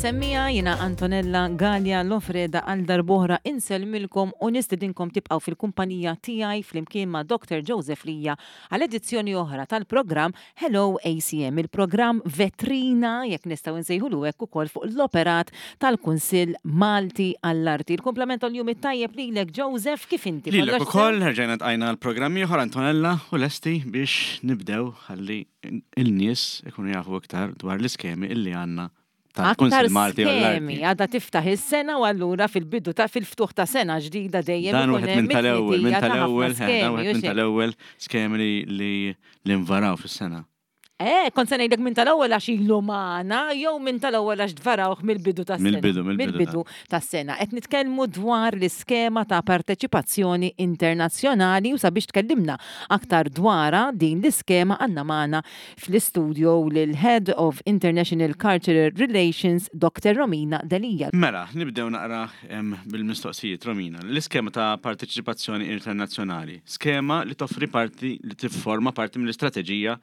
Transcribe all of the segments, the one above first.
semmiegħa, jiena Antonella Galea Lofreda għal darb'oħra insellmilkom u nistedinkom tibqgħu fil-kumpanija tiegħi flimkien ma' Dr. Joseph Lija għal edizzjoni oħra tal-programm Hello ACM, il-programm vetrina, jekk nistgħu nsejħulu hekk ukoll fuq l-operat tal-Kunsill Malti għall-Arti. Il-kumplament tal-jum it-tajjeb lilek Joseph, kif inti? Lilek ukoll, rġajna tqajna l-programm ieħor Antonella u lesti biex nibdew ħalli il-nies ikunu jafu iktar dwar l-iskemi illi għandna Aktar skemi, għadha tiftaħ is-sena u allura fil-bidu ta' fil-ftuħ ta' sena ġdida dejjem Dan wieħed minn tal-ewwel, minn tal-ewwel, dan wieħed minn tal-ewwel skemi li li nvaraw fis-sena. Eh, kont se ngħidlek minn tal-ewwel għax ilu magħna jew minn tal-ewwel għax tvarawh mill-bidu tas-sena. Mill-bidu, mill-bidu tas-sena. Qed nitkellmu dwar l-iskema ta' parteċipazzjoni internazzjonali u sabiex tkellimna aktar dwarha din l-iskema għandna magħna fl-istudio lill-Head of International Cultural Relations Doctor Romina Delia. Mela, nibdew naqra bil-mistoqsijiet, Romina. L-iskema ta' parteċipazzjoni internazzjonali, skema li toffri parti li tifforma parti mill-istrateġija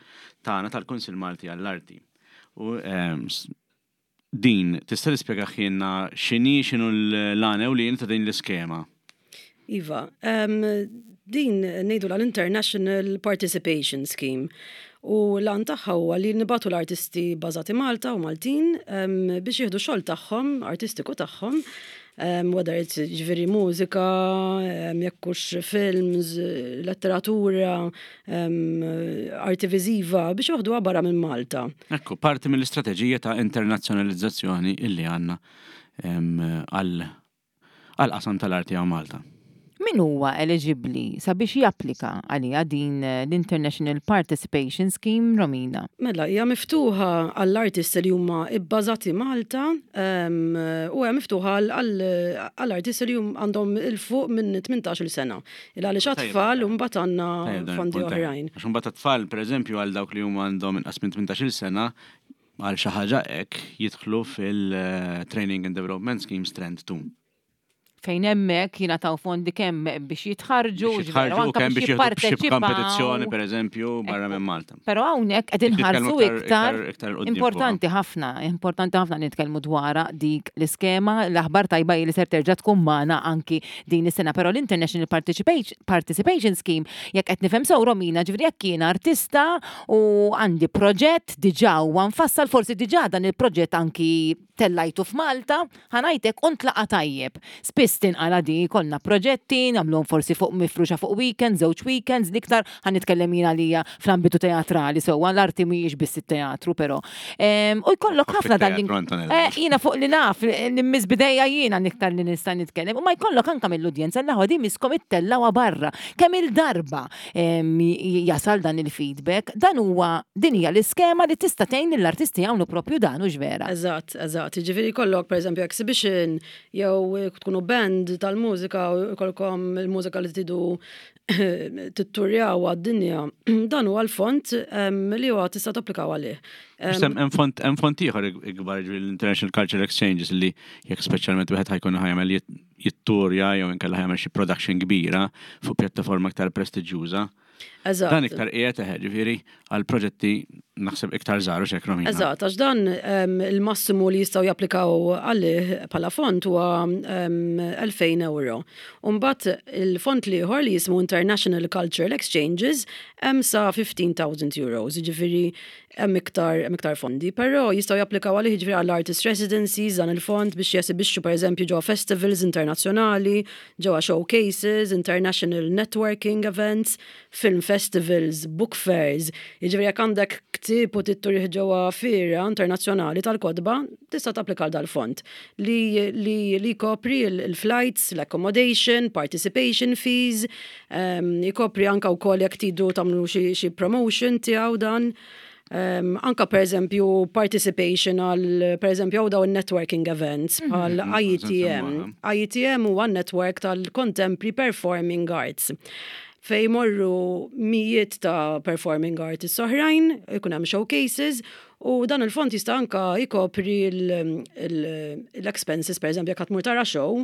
tagħna tal-Kunsill Malti għall-Arti. U Din, tista' tispjegahielna x'inhi, x'inhu l-għan ewlieni ta' din l-iskema? Iva, din ngħidulha l-International Participation Scheme u l-għan tagħha huwa li nibagħtu l-artisti bbażati Malta u Maltin biex jieħdu x-xogħol tagħhom, artistiku tagħhom, whether it's ġifieri mużika, jekk hux films, letteratura, arti viżiva, biex joħduha barra minn Malta. Ekku, parti mill-istrateġija ta' internazzjonalizzazzjoni illi għandna għal għall-qasam tal-arti hawn Malta. Min huwa eliġibbli sabiex japplika għaliha din l-International Participation Scheme, Romina? Mela, hija miftuħa għall-artisti li huma bbażati Malta u hija miftuħa għall-artisti li għandhom 'il fuq minn 18-il sena. Il għaliex għat-tfal u mbagħad għandna fondi oħrajn. Għax imbagħad għat-tfal, pereżempju, għal dawk li huma għandhom inqas minn 18-il sena, għal xi ħaġa hekk jidħlu fil-Training and Development Scheme Strand 2. Fejn hemmhekk jingħataw fondi kemm biex jitħarrġu, Biex jitħarrġu u kemm biex jieħdu xi kompetizzjoni pereżempju barra minn Malta. Però hawnhekk qed inħarsu iktar importanti ħafna, importanti ħafna nitkellmu dwarha dik l-iskema, l-aħbar tajba hi li ser terġa' tkun magħna anki din is-sena, però l-International Participation Scheme jekk qed nifhem sew Romina, ġifieri jekk jien artista u għandi proġett diġà huwa mfassal, forsi diġà dan il-proġett anki tellajtu f'Malta, ħa ngħid hekk, u ntlaqa' tajjeb. Spiss tinqala' di, jkollna proġetti, nagħmluhom forsi fuq mifruxa fuq weekend, żewġ weekends, l-iktar, ħa nitkellem jien għalija fl-ambitu teatrali sewwa, l-arti mhijiex biss it-teatru però. U jkollok ħafna dan l-. Jiena fuq li naf, li mmiss b'idejja jiena l-iktar li nista' nitkellem, u ma jkollok anke mill-udjenza l-aħwa di misskom ittellgħuha barra. Kemm-il darba jasal dan il-feedback, dan huwa din hija l-iskema li tista' tgħin lill-artisti jagħmlu propju dan, hux vera? Eżatt, eżatt. Jiġifieri jkollok pereżempju exhibition jew tkunu band tal-mużika u jkollkom il-mużika li tridu titturjaw għad-dinja, dan huwa l-fond li huwa tista' tapplikaw għalih. Hemm fond hemm fond ieħor ikbar jiġifieri l-International Cultural Exchanges li jekk speċjalment wieħed ħajkun ħajamel jitturja jew inkella ħajamel xi production kbira fuq pjattaforma iktar prestiġjuża. Eżatt. Dan iktar qiegħed eħe ġifieri għal proġetti naħseb iktar żgħar u xek Romina. Eżatt, għax dan il-massimu li jistgħu japplikaw għalih bħala fond huwa 2000 euro. U mbagħad il-fond l-ieħor li jismu International Cultural Exchanges hemm sa 15,000 euros, jiġifieri hemm iktar hemm iktar fondi, però jistgħu japplikaw għalih jiġifieri għall artist residencies dan il-fond biex jesibixxu pereżempju ġewwa festivals internazzjonali, ġewwa showcases, international networking events, film festivals, book fairs. Jiġifieri jekk għandek ktieb u trid turih ġewwa fiera internazzjonali tal-kotba, tista' tapplika għal dal-fond li li li jkopri l-flights, l-accommodation, participation fees, Ikopri anka wkoll jekk tridu tagħmlu xi promotion tiegħu dan. Anka per eżempju participation għal per eżempju għaw dawn networking events mhm. bħal IETM. IETM huwa network tal-Contemporary Performing Arts fej morru mijiet ta' performing artists oħrajn, ikun hemm showcases. U dan il-fond jista' anka jkopri l-expenses, per eżempju, jekk tmur tara show,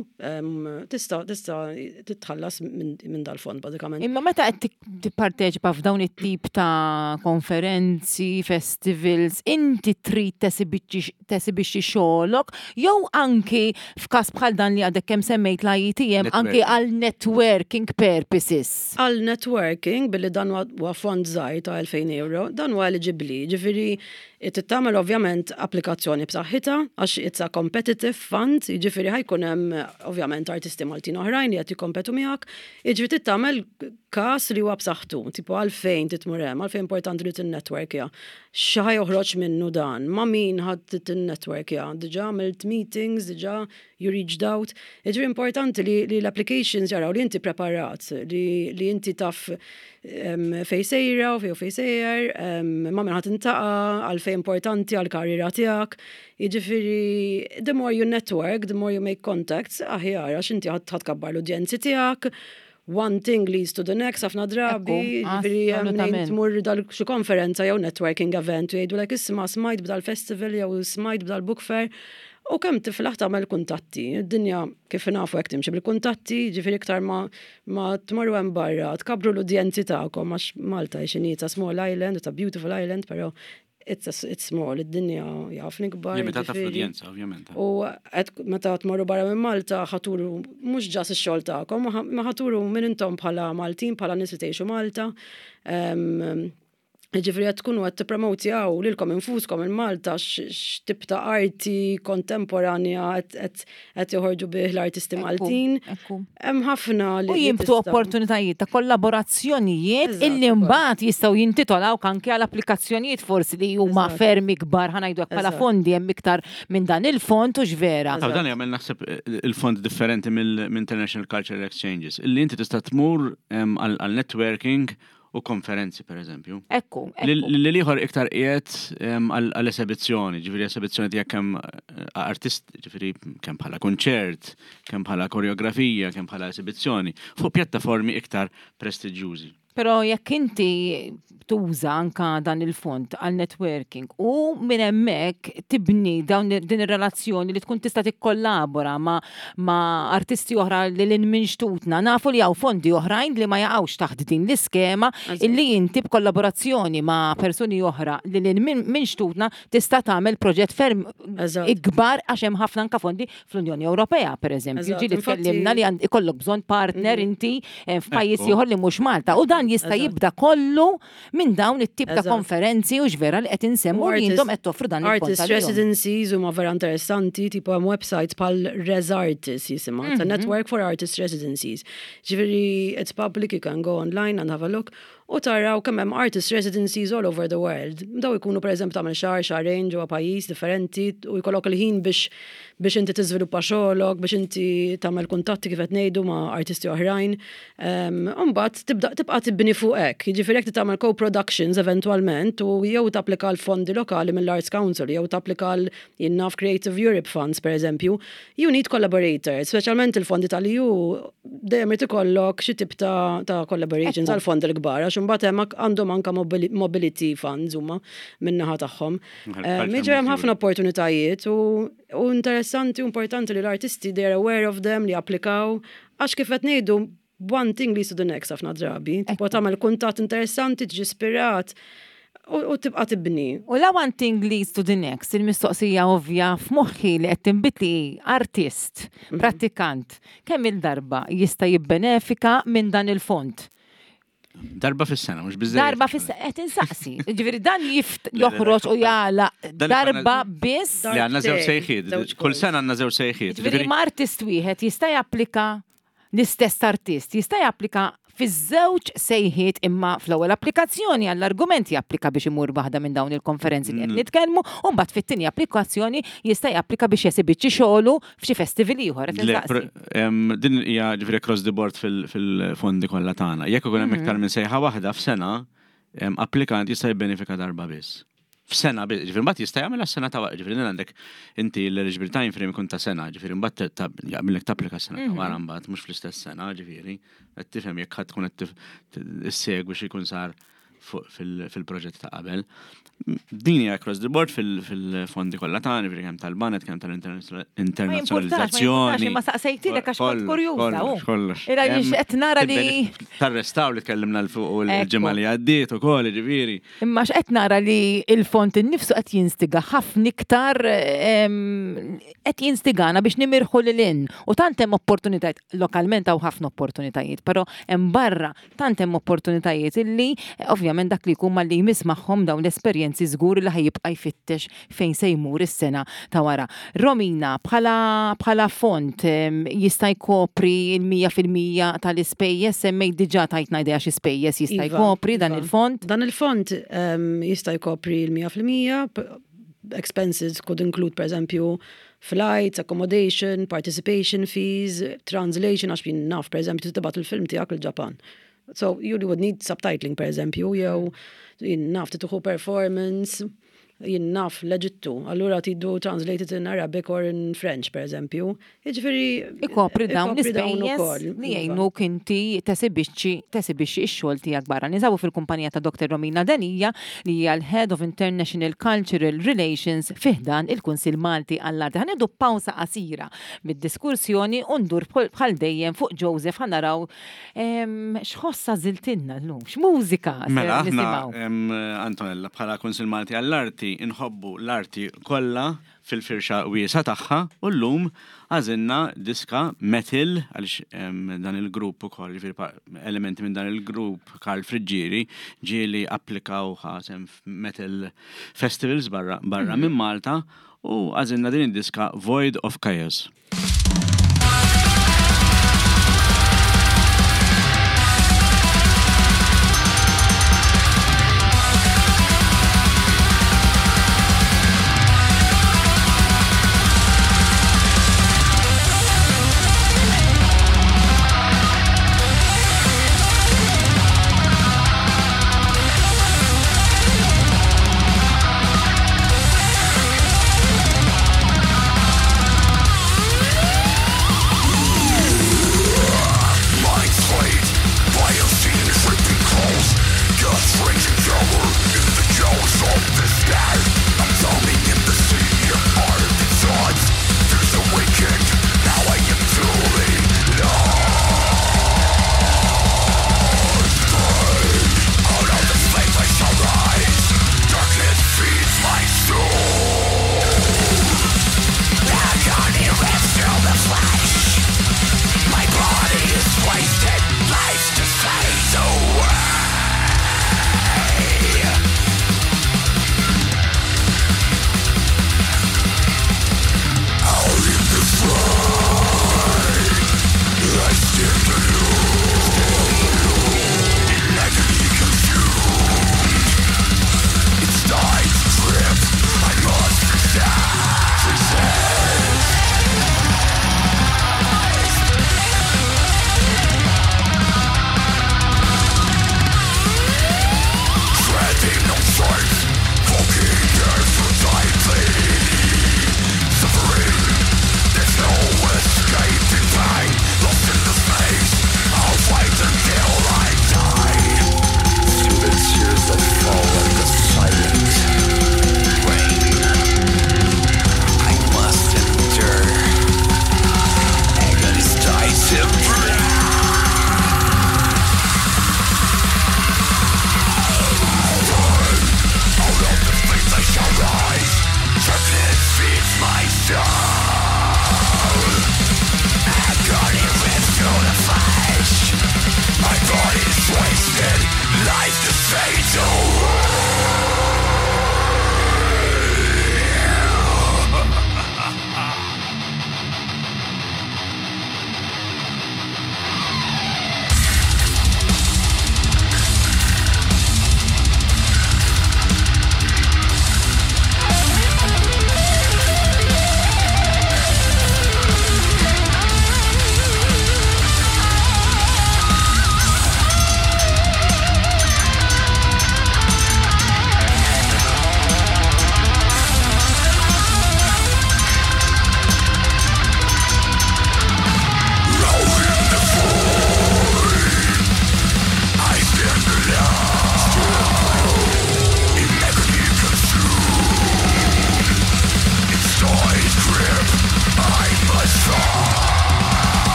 tista' tista' titħallas minn dal-fond bażikament. Imma meta qed tipparteċipa f'dawn it-tip ta' konferenzi, festivals, inti trid tesibixxi xogħolok jew anki f'każ bħal dan li għadek kemm semmejt l-IETM anki għal networking purposes? Għal networking, billi dan huwa fond żgħir ta' 2000 euro, dan huwa eligibbli, jiġifieri trid tagħmel ovvjament applikazzjoni b'saħħitha għax it's a competitive fund, jiġifieri ħa jkun hemm ovvjament artisti Maltin oħrajn li qed jikkompetu miegħek, jiġifieri trid tagħmel każ li huwa b'saħħtu, tipo għalfejn trid tmur hemm, għalfejn importanti li tinnetworkja, x'ħa joħroġ minnu dan, ma' min ħa tinnetworkja, diġà għamilt meetings, diġà you reached out. Jiġifieri importanti li, li l-applications jaraw li inti preparat, li, li inti taf um, fej sejra u fej u fej sejjer, um, ma' min ħa tintaqa', għalfejn importanti għal-karriera tiegħek. Jiġifieri, the more you network, the more you make contacts, aħjar, għax inti ħa tkabbar l-udjenzi tiegħek, one thing leads to the next, ħafna drabi, ġifieri hemm tmur dal xi konferenza jew networking event u jgħidulek isma' smajt b'dal-festival jew smajt b'dal-book fair. U kemm tiflaħ tagħmel kuntatti. Id-dinja kif nafu hekk timxi bil-kuntatti, ġifieri iktar ma, ma tmorru hemm barra, tkabbru l-udjenzi tagħkom għax Malta hi x'inhi, it's a small island, it's a beautiful island, però it's, a, it's small, id-dinja hija ħafna ikbar. Limitata fl-udjenza, ovvjament. U qed meta tmorru barra minn Malta ħa turu mhux ġas ix-xogħol tagħkom, ma ħa turu min intom bħala Maltin, bħala nies li tgħixu Malta. Ehm, Ġifieri qed tkunu qed tippromotjaw lilkom infuskom il-Malta x'tip ta' arti kontemporanja qed joħorġu bih l-artisti Maltin. Hemm ħafna li. U jibtu opportunitajiet ta' kollaborazzjonijiet illi mbagħad jistgħu jintitolawk anke għal applikazzjonijiet forsi li huma ferm ikbar ħa ngħidu hekk bħala fondi hemm iktar minn dan il-fond u x'vera. Dan jagħmel naħseb il-fond differenti mill-International Cultural Exchanges illi inti tista' tmur għal networking u konferenzi per eżempju. Ekku. Li liħor iktar qiegħed għall-esebizzjoni, ġifieri esebizzjoni tiegħek kemm eh, artist, ġifieri kemm bħala konċert, kemm bħala koreografija, kemm bħala esebizzjoni, fuq pjattaformi iktar prestiġjużi. Però jekk inti tuża anka dan il-fond għal networking u minn hemmhekk tibni dawn din ir-relazzjoni li tkun tista' tikkollabora ma' ma' artisti oħra li lil minn xtutna. Nafu li hawn fondi oħrajn li ma jaqgħux taħt din l-iskema illi inti b'kollaborazzjoni ma' persuni oħra li lil minn xtutna tista' tagħmel proġett ferm ikbar għax hemm ħafna anka fondi fl-Unjoni Ewropea, pereżempju. Ġieli tkellimna li ikollok bżonn partner mhm. inti eh, f'pajjiż ieħor li mhux Malta. U dan jista' jibda kollu minn dawn it-tip ta' konferenzi u x'vera li qed insemmu li intom qed toffru dan il-fond. Artist residencies huma vera interessanti, tipo hemm websites bħal Res Artists jisimha, mm -hmm. Network for Artist Residencies. Ġifieri it's public, you can go online and have a look u taraw kemm hemm artist residencies all over the world. Daw ikunu pereżempju tagħmel xahar, xahrejn ġewwa pajjiż differenti u jkollok il-ħin biex biex inti tiżviluppa xogħolok, biex inti tagħmel kuntatti kif qed ngħidu ma' artisti oħrajn. Imbagħad tibda tibqa' tibni fuq hekk. Jiġifieri jekk tagħmel co-productions eventwalment u jew tapplika l-fondi lokali mill-Arts Council jew tapplika l jien naf Creative Europe Funds pereżempju, you need collaborators, speċjalment il-fondi tal-EU dejjem irid ikollok xi tip ta', ta collaborations għal fondi l-kbar għax imbagħad hemm għandhom anke mobility funds huma min-naħa tagħhom. Jiġifieri hemm ħafna opportunitajiet u u interessanti u importanti li l-artisti they are aware of them li applikaw għax kif qed ngħidu one thing leads to the next ħafna drabi. Tipo tagħmel kuntatt interessanti, tiġi ispirat u tibqa' tibni. U la one thing leads to the next, il-mistoqsija ovvja f'moħħi li qed tinbidli hi artist, mhm. prattikant, kemm il-darba jista' jibbenefika minn dan il-fond? Darba fis-sena, mhux biżżejjed. Darba fis-sena, qed insaqsi. Ġifieri dan jift joħroġ u jagħlaq darba biss. Li għandna żewġ sejħiet. Kull sena għandna żewġ sejħiet. Ġifieri ma artist wieħed jista' japplika l-istess artist jista' japplika fiż-żewġ sejħiet imma fl-ewwel applikazzjoni għall-argument japplika biex imur waħda minn dawn il-konferenzi li qed mm. nitkellmu u mbagħad fit-tieni applikazzjoni jista' japplika biex jesibixxi xogħlu f'xi festival ieħor. Din hija ġifieri across the board fil-fondi kollha tagħna. Jekk ikun hemm mhm. iktar minn sejħa waħda f'sena, applikant jista' jibbenefika darba biss. F'sena biss, ġifieri mbagħad jista' jagħmel sena ta' wara, ġifieri għandek inti l-eligible time frame ikun ta' sena, ġifieri mbagħad jaqbilek tapplika sena ta' mhm. wara mbagħad mhux fl-istess sena, ġifieri qed tifhem jekk ħadd tkun qed issegwi xi jkun sar. fil-proġett ta' qabel. Din hija across the board fil-fondi kollha tagħna, jiġifieri kemm tal-banet, kemm tal-internazzjonalizzazzjoni. Ma saqsejtilek għax kont kurjuża. Kollox. Ira qed nara li. Tarrestaw li tkellimna l fuq il-ġimgħa li għaddiet ukoll, jiġifieri. Imma x'qed nara li l-fond innifsu qed jinstiga ħafna iktar qed jinstigana biex nimirħu lil hinn. U tant hemm opportunitajiet, lokalment hawn ħafna opportunitajiet, però hemm barra tant hemm opportunitajiet illi ovvjament dak li jkun malli jmiss magħhom dawn l-esperjenzi żgur li ħa jibqa' jfittex fejn se jmur is-sena ta' wara. Romina, bħala bħala fond jista' jkopri l-100% tal-ispejjeż, semmejt diġà tajtna idea xi spejjeż jista' iva, jkopri dan iva. il-fond. Dan il-fond jista' jkopri l-100%, expenses could include per eżempju flights, accommodation, participation fees, translation, għax jien naf, per eżempju, tibgħat il-film tiegħek il-Ġapan. So you would need subtitling, per eżempju, jew jien naf tieħu performance, jien naf l-Eġittu, allura tridu translated in Arabic or in French, per eżempju. Jiġifieri Ikopri dawn l-ispejjeż li iva. jgħinuk inti tesibixxi tesibixxi x-xogħol tiegħek barra. Ninsabu fil-kumpanija ta' Dr. Romina Delia li hija l-Head of International Cultural Relations fi ħdan il-Kunsill Malti għall-Arti. Ħa nieħdu pawsa qasira mid-diskursjoni u ndur bħal dejjem fuq Joseph ħa naraw x'ħoss għażiltilna llum, x'mużika ser Mela aħna nisimgħu. Antonella bħala Kunsill Malti għall-Arti inħobbu l-arti kollha fil-firxa wiesgħa tagħha u llum għażilna diska metal għaliex dan il-grupp ukoll, jiġifieri elementi minn dan il-grupp Karl Friggieri ġieli applikaw ħa sehem f'metal festivals barra barra minn Malta u għażilna din id-diska Void of Chaos.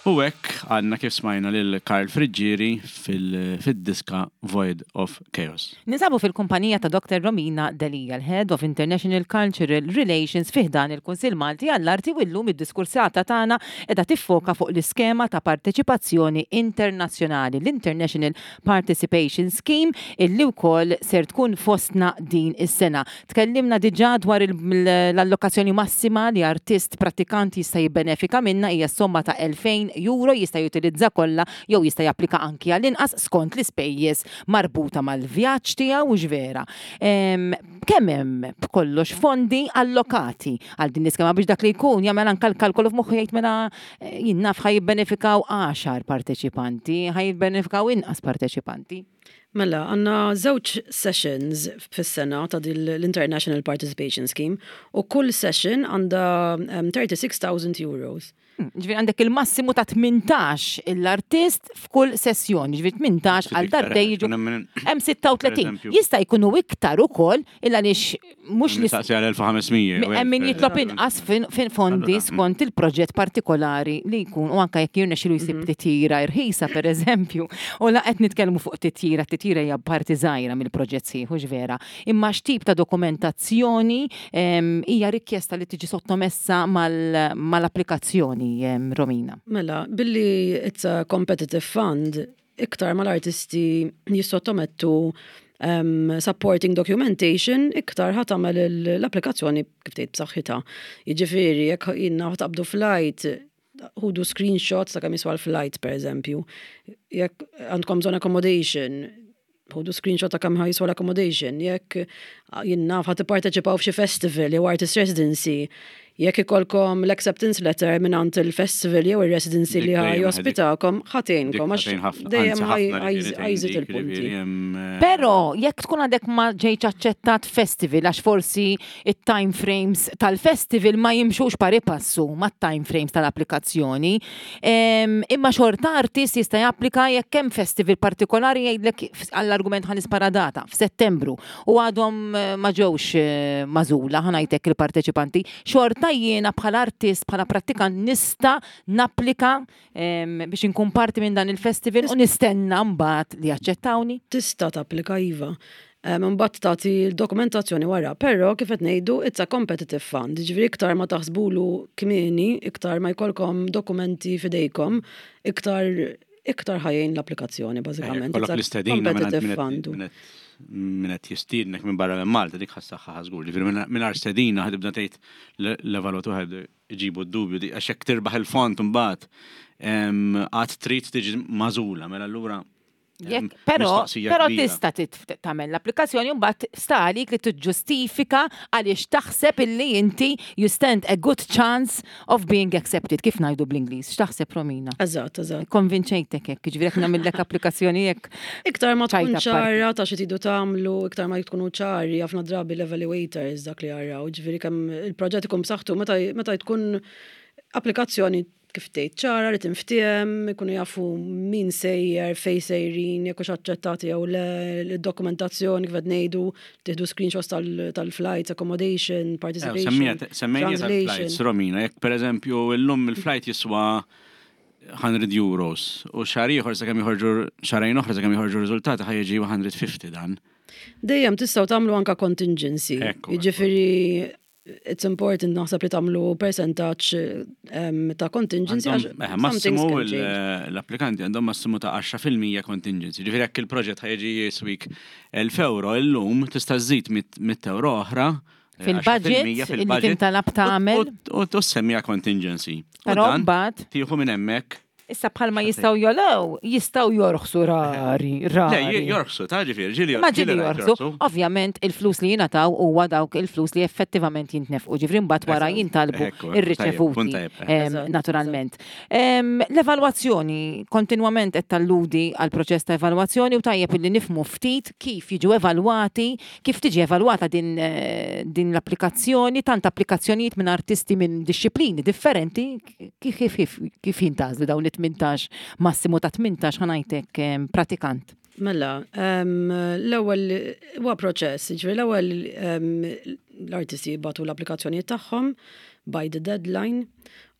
U hekk għandna kif smajna lil Karl Friggieri fid-diska Void of Chaos. Ninsabu fil-kumpanija ta' Dr. Romina Delia, l-Head of International Cultural Relations fi ħdan il-Kunsill Malti għall-Arti u llum id-diskursata tagħna qiegħda tiffoka fuq l-iskema ta' parteċipazzjoni internazzjonali, l-International Participation Scheme, illi wkoll ser tkun fostna din is-sena. Tkellimna diġà dwar l-allokazzjoni massima li artist prattikant jista' jibbenefika minnha hija s-somma ta' 2,000 euro, jista' jutilizza kollha jew jista' japplika anki għal inqas skont l-ispejjeż marbuta mal-vjaġġ tiegħu, hux vera? Kemm hemm b'kollox fondi allokati għal din l-iskema biex dak li jkun jagħmel anke l-kalkolu f'moħħu jgħid mela jien naf ħa jibbenefikaw għaxar parteċipanti, ħa jibbenefikaw inqas parteċipanti? Mela, għandna żewġ sessions fis-sena ta' din l-International Participation Scheme u kull session għandha 36,000 euros. Ġifieri għandek il-massimu ta' 18 l-artist f'kull sessjoni, ġifieri 18 għal darbtejn jiġu hemm 36. Jista' jkunu iktar ukoll il għaliex mhux li. Saqsi għal 1500. Hemm min jitlob inqas fin fondi skont il-proġett partikolari li jkun u anke jekk jirnexxilu jsib titjira irħisa pereżempju. U la qed nitkellmu fuq titjira, titjira hija parti żgħira mill-proġett sħiħ, hux vera. Imma x'tip ta' dokumentazzjoni hija rikjesta li tiġi sottomessa mal-applikazzjoni, Romina? Mela, billi it's a competitive fund, iktar ma l-artisti jissottomettu um, supporting documentation, iktar ħa tagħmel l-applikazzjoni kif tgħid b'saħħitha. Jiġifieri jekk jiena taqbdu flight, ħudu screenshots ta' kemm jiswa l-flight pereżempju. Jekk għandkom bżonn accommodation, ħudu screenshot ta' kemm jiswa l-accommodation. Jekk jien naf ħa tipparteċipaw f'xi festival jew artist residency, jekk ikollkom l-acceptance letter mingħand il-festival jew ir-residency li ħa jospitakom, ħa tgħinkom għax dejjem ħa jżid il-punti. Però jekk tkun għadek ma ġejtx aċċettat festival għax forsi it-time frames tal-festival ma jimxux pari passu mat-time frames tal-applikazzjoni, imma xorta artist jista' japplika jekk hemm festival partikolari jgħidlek għall-argument ħa nispara data f'Settembru u għadhom ma ġewx magħżula, ħa ngħid hekk il-parteċipanti, xorta jiena bħala artist, bħala prattikant nista' napplika biex inkun parti minn dan il-festival u nistenna mbagħad li jaċċettawni? Tista' tapplika iva. Imbagħad tagħti l-dokumentazzjoni wara, però kif qed ngħidu it's a competitive fund, jiġifieri iktar ma taħsbulu kmieni, iktar ma jkollkom dokumenti f'idejkom, iktar iktar ħa jgħin l-applikazzjoni bażikament. Kollok l-istedina minn qed jistiednek minn barra minn Malta dik ħassaħħa żgur. Ġifieri mingħajr stedina ħa tibda tgħid l-evalwatur ħa jġibu d-dubju għax jekk tirbaħ il-fond imbagħad għad trid tiġi magħżula mela allura Jekk, però, però tista' tagħmel l-applikazzjoni u mbagħad sta għalik li tiġġustifika għaliex taħseb illi inti you stand a good chance of being accepted, kif ngħidu bl-Ingliż. X'taħseb Romina? Eżatt, eżatt. Konvinċejtek hekk, jiġifieri jekk nagħmillek applikazzjoni hekk. Iktar ma tkun ċara ta' xi tridu tagħmlu, iktar ma tkunu ċari ħafna drabi l-evaluators dak li jaraw, jiġifieri kemm il-proġett ikun b'saħħtu meta tkun applikazzjoni kif tgħid ċara li tinftiehem, ikunu jafu min sejjer, fejn sejrin, jekk hux aċċettati jew le, id-dokumentazzjoni kif qed ngħidu, tieħdu screenshots tal-flights, accommodation, participation. Semmejna tal-flights, Romina, jekk pereżempju llum il-flight jiswa 100 euros u xahar ieħor sakemm joħorġu xahrejn oħra sakemm joħorġu riżultati ħa jiġi 150 dan. Dejjem tistgħu tagħmlu anke contingency. Jiġifieri it's important naħseb li tagħmlu percentaġġ ta' contingency. Eh, massimu l-applikanti għandhom massimu ta' 10% contingency. Ġifieri jekk il-proġett ħajġi jiswik 1000 euro illum tista' żżid 100 euro oħra. Eh, fil-budget, fil-budget tintalab tagħmel. U tussemmija contingency. Però mbagħad tieħu minn hemmhekk Issa bħalma jistgħu jogħlew, jistgħu jorħsu rari, rari. Le, jorħsu, ta' ġifieri, ġieli. Ma ġieli jorħsu. Ovvjament il-flus li jingħataw huwa dawk il-flus li effettivament jintnefqu, ġifieri mbagħad wara jintalbu ir-riċevuti naturalment. L-evalwazzjoni kontinwament qed talludi għal proċess ta' evalwazzjoni u tajjeb illi nifhmu ftit kif jiġu evalwati, kif tiġi evalwata din din l-applikazzjoni, tant applikazzjonijiet minn artisti minn dixxiplini differenti Kif kif kif kif jintgħażlu dawn it-18 massimu ta' 18 ħa ngħidlek pratikant? Mela, l-ewwel huwa proċess, jiġifieri l-ewwel l-artisti jibgħatu l-applikazzjonijiet tagħhom by the deadline.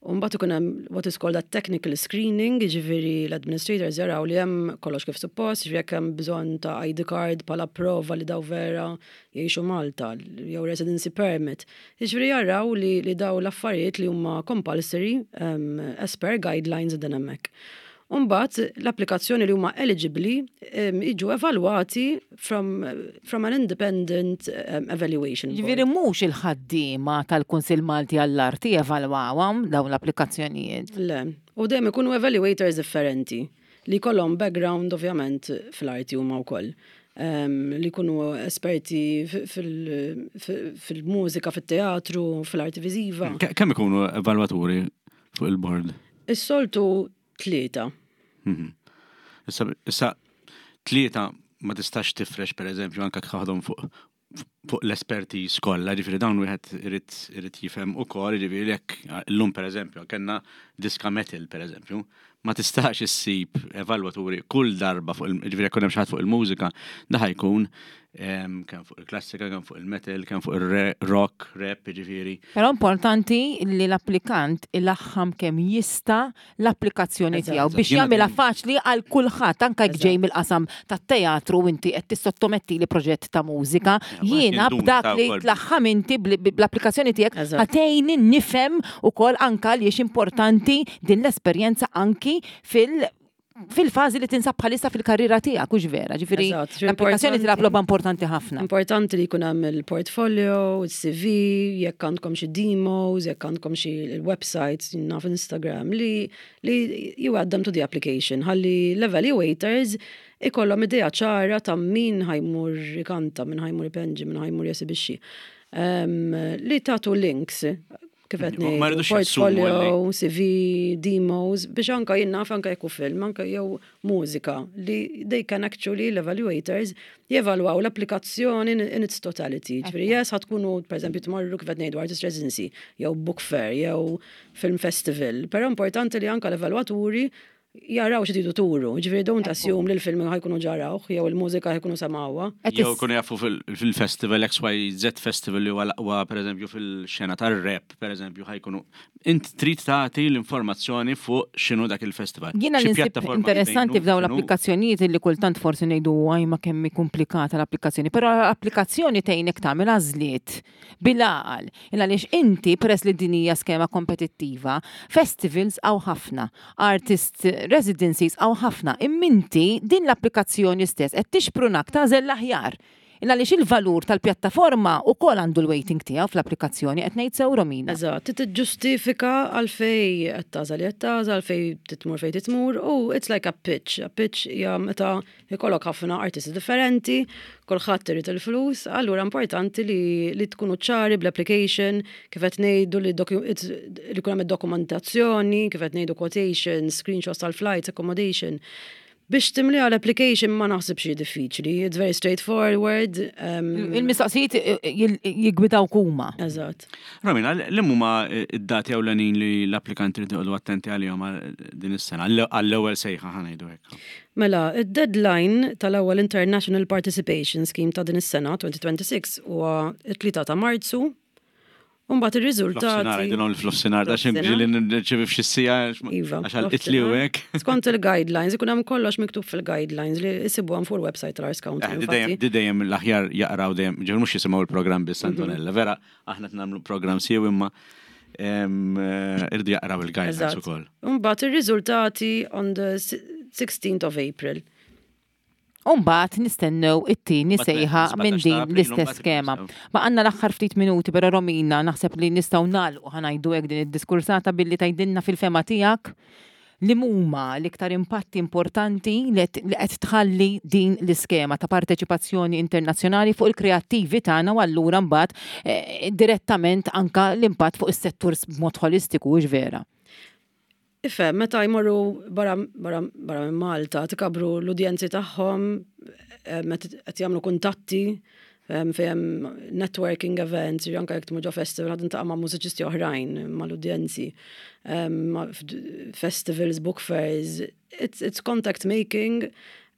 U mbagħad ikun hemm what is called a technical screening, jiġifieri l-administrators jaraw li hemm kollox kif suppost, jiġifieri jekk hemm bżonn ta' ID card bħala prova li daw vera jgħixu Malta, jew residency permit. Jiġifieri jaraw li, li daw l-affarijiet li huma compulsory um, as per guidelines din hemmhekk. U mbagħad l-applikazzjoni li huma eligibbli jiġu evalwati from, from an independent evaluation. Ġifieri mhux il-ħaddiema tal-Kunsill Malti għall-Arti jevalwawhom dawn l-applikazzjonijiet. Le, u dejjem ikunu evaluators differenti li jkollhom background ovvjament fl-arti huma wkoll. Li jkunu esperti fil-mużika, fit-teatru, fil-arti viżiva. Kemm ikunu evalwaturi fuq il-board? Is-soltu tlieta. Mhm. Issa, issa tlieta ma tistax tifrex per eżempju anka tħaħdhom fuq fuq l-espertiż kollha, ġifieri dawn wieħed irid irid jifhem ukoll, ġifieri jekk llum pereżempju kellna diska metal pereżempju, ma tistax issib evalwaturi kull darba fuq il ġifieri jekk hemm xi ħadd fuq il-mużika, da ħajkun kemm fuq il-klassika, kemm fuq il-metal, kemm fuq il-rock, rap, ġifieri. Però importanti li l-applikant ilaħħam kemm jista' l-applikazzjoni tiegħu biex jagħmilha faċli għal kulħadd anke jekk ġej mill-qasam tat-teatru inti qed tissottometti li proġett ta' mużika. Jiena b'dak li tlaħħam inti bl-applikazzjoni tiegħek ħatejni nifhem ukoll anke għaliex importanti din l-esperjenza anki fil- fil-fażi li tinsab bħalissa fil-karriera tiegħek, hux vera, ġifieri l-applikazzjoni tilgħab logħba importanti ħafna. Importanti li jkun hemm il-portfolio, il-CV, jekk għandkom xi demos, jekk għandkom xi websites, naf Instagram, li li you add them to the application, ħalli l-evaluators ikollhom idea ċara ta' min ħajmur ikanta, min ħajmur ipenġi, min ħajmur jesibixxi. Li tagħtu links kif qed ngħidu, portfolio, CV, demos, biex anka jien naf anka jekk film, anka jew mużika li they can actually l-evaluators jevalwaw l-applikazzjoni in its totality. Ġifieri yes ħa tkunu pereżempju tmorru kif qed ngħidu artist residency, jew book fair, jew film festival, però importanti li anka l-evalwaturi jaraw xi tridu turu, ġifieri don't assume li l-film ħajkunu ġarawh jew il-mużika ħajkunu semgħuha. Jew jkunu jafu fil-festival XYZ festival li huwa l-aqwa pereżempju fil-xena tar-rap pereżempju ħajkunu. Int trid tagħti l-informazzjoni fuq x'inhu dak il-festival. Jiena li nsib interessanti f'dawn l-applikazzjonijiet li kultant forsi ngħidu għaj ma kemm hi komplikata l-applikazzjoni, però l-applikazzjoni tgħinek tagħmel għażliet bil-għaqal. Il għaliex inti, peress li din hija skema kompetittiva, festivals hawn ħafna, artist residencies hawn ħafna, imma inti din l-applikazzjoni stess qed tixprunak tagħżel l-aħjar. Il għaliex il-valur tal-pjattaforma wkoll għandu l-weighting tiegħu fl-applikazzjoni, qed ngħid sew Romina? Eżatt, trid tiġġustifika għalfejn qed tagħżel li qed tagħżel, għalfejn trid tmur fejn trid tmur u it's like a pitch. A pitch hija meta Ikollok ħafna artisti differenti, kulħadd irid il-flus, allura importanti li, li tkunu ċari bl-application, kif qed ngħidu li li jkun hemm id-dokumentazzjoni, kif qed ngħidu quotations, screenshots tal-flights, accommodation. Biex timliha l-application ma naħsibx li diffiċli, it's very straightforward. Um, Il-mistoqsijiet eh, eh, jiggwidawk huma. Eżatt. Romina, li huma id-dati ewlenin li l-applikanti li toqgħodu attenti għalihom din is-sena, għall-ewwel sejħa ħanejdu hekk. Mela, id-deadline tal-ewwel International Participation Scheme ta' din is-sena, 2026, huwa t-3 ta' Marzu, u mbagħad ir-riżultati. Fl-offsinar, għidilhom li fl-offsinar, ta' xi ġieli nirċievi f'xi siegħa. Iva. Għax għal-itli u hekk. Skont il-guidelines, ikun hemm kollox miktub fil-guidelines li jsibuhom fuq il-website tal-Arts Council. Eh, di dejjem l-aħjar jaqraw dejjem, ġifieri mhux jisimgħu il-programm biss Antonella, vera aħna qed nagħmlu programm siew imma eh, irdu jaqraw il-guidelines ukoll. Imbagħad ir-riżultati on the 16th of April. Umbagħad nistennew it-tieni sejħa minn din l-istess skema. Ma għandna l-aħħar ftit minuti, però Romina naħseb li nistgħu nagħlqu ħanajdu hekk din id-diskursata billi tgħidilna fil-fema tiegħek li huma l-iktar impatti importanti li qed tħalli din l-iskema ta' parteċipazzjoni internazzjonali fuq il-kreattivi tagħna u allura mbagħad eh, direttament anka l-impatt fuq is-settur b'mod ħolistiku hux vera. Ifhem, meta jmorru barra barra barra minn Malta, tikabru l-udjenzi tagħhom, eh, meta qed jagħmlu kuntatti, fejn hemm networking events, anke jekk tmur ġo festival ħad intaqa' ma' mużiċisti oħrajn, mal-udjenzi, festivals, book fairs, it's, it's contact making,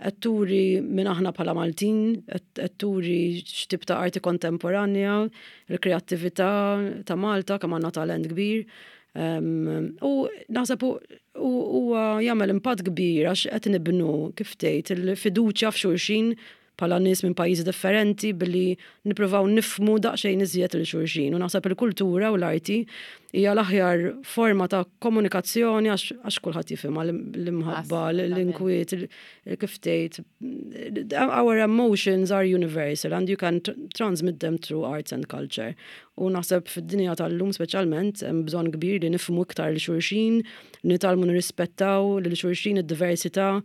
qed turi minn aħna bħala Maltin, qed turi x'tip ta' arti kontemporanja, il-kreattività ta' Malta kemm għandna talent kbir. U naħseb huwa jagħmel impatt kbir għax qed nibnu kif tgħid il-fiduċja f'xulxin bħala nies minn pajjiżi differenti billi nippruvaw nifhmu daqsxejn iżjed lil xulxin u naħseb il-kultura u l-arti hija l-aħjar forma ta' komunikazzjoni għax kulħadd jifhimha l-imħabba, l-inkwiet, kif tgħid, our emotions are universal and you can transmit them through arts and culture. U naħseb fid-dinja tal-lum speċjalment hemm bżonn kbir li nifhmu iktar lil xulxin, nitgħallmu nirrispettaw lil xulxin id-diversità,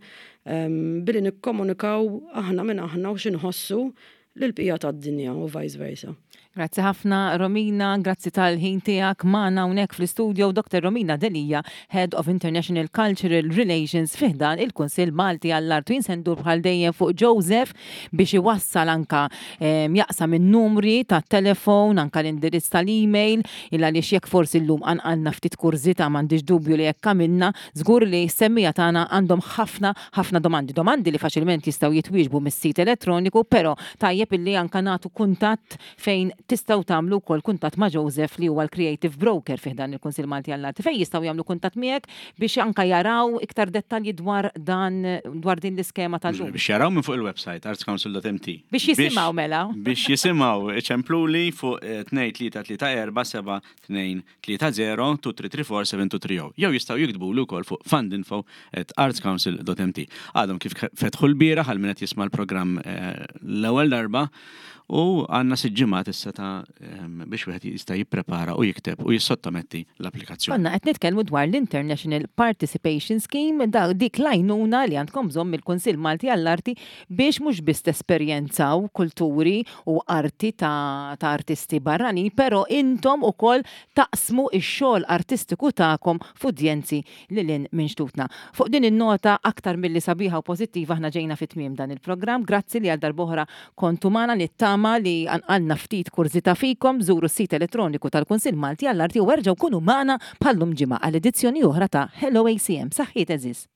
billi nikkomunikaw aħna min aħna u x'inħossu lill-bqija tad-dinja u vice versa. Grazzi ħafna Romina, grazzi tal-ħin tiegħek magħna hawnhekk fl-istudio Dr. Romina Delia, Head of International Cultural Relations fi ħdan il-Kunsill Malti għall-Art. U jien se ndur bħal dejjem fuq Joseph biex iwassal anka jaqsam in-numri tat-telefon, anka l-indirizz tal-email, il għaliex jekk forsi llum qanqalna ftit kurżità m'għandix dubju li hekk għamilna, Żgur li s-semmiegħa tagħna għandhom ħafna, ħafna domandi. Domandi li faċilment jistgħu jitwieġbu mis-sit elettroniku, però tajjeb illi anke nagħtu kuntatt fejn tistgħu tagħmlu wkoll kuntatt ma' Joseph li huwa l-Creative Broker fi ħdan il-Kunsill Malti għall-Arti fejn jistgħu jagħmlu kuntatt miegħek biex anke jaraw iktar dettalji dwar dan dwar din l-iskema tal-lum. Biex jaraw minn fuq il-website artscouncil.mt. Biex jisimgħu mela. Biex jisimgħu iċempluli fuq 2 3 3 4 7 2 30 2334 7230 jew jistgħu jiktbuli wkoll fuq fundinfo@artscouncil.mt. Għadhom kif fetħu l-bieraħ għal min qed jisma' l-programm eh, l-ewwel darba u għandna sitt ġimgħat issa ta' ehm, biex wieħed jista' jipprepara u jikteb u jissottometti l-applikazzjoni. Konna qed nitkellmu dwar l-International Participation Scheme, da dik l-għajnuna li għandkom bżonn mill-Kunsill Malti għall-Arti biex mhux biss tesperjenzaw kulturi u arti ta' ta' artisti barranin, però intom ukoll taqsmu x-xogħol artistiku tagħkom f'udjenzi lil hinn minn xtutna. Fuq din in-nota aktar milli sabiħa u pożittiva aħna ġejna fi tmiem dan il-programm. Grazzi li għal darb'oħra kontu magħna nittama li qanqalna ftit kurżità fikom, żuru s-sit elettroniku tal-Kunsill Malti għall-Arti u erġgħu kunu magħna bħal-lum ġimgħa għal edizzjoni oħra ta' Hello ACM. Saħħiet għeżież.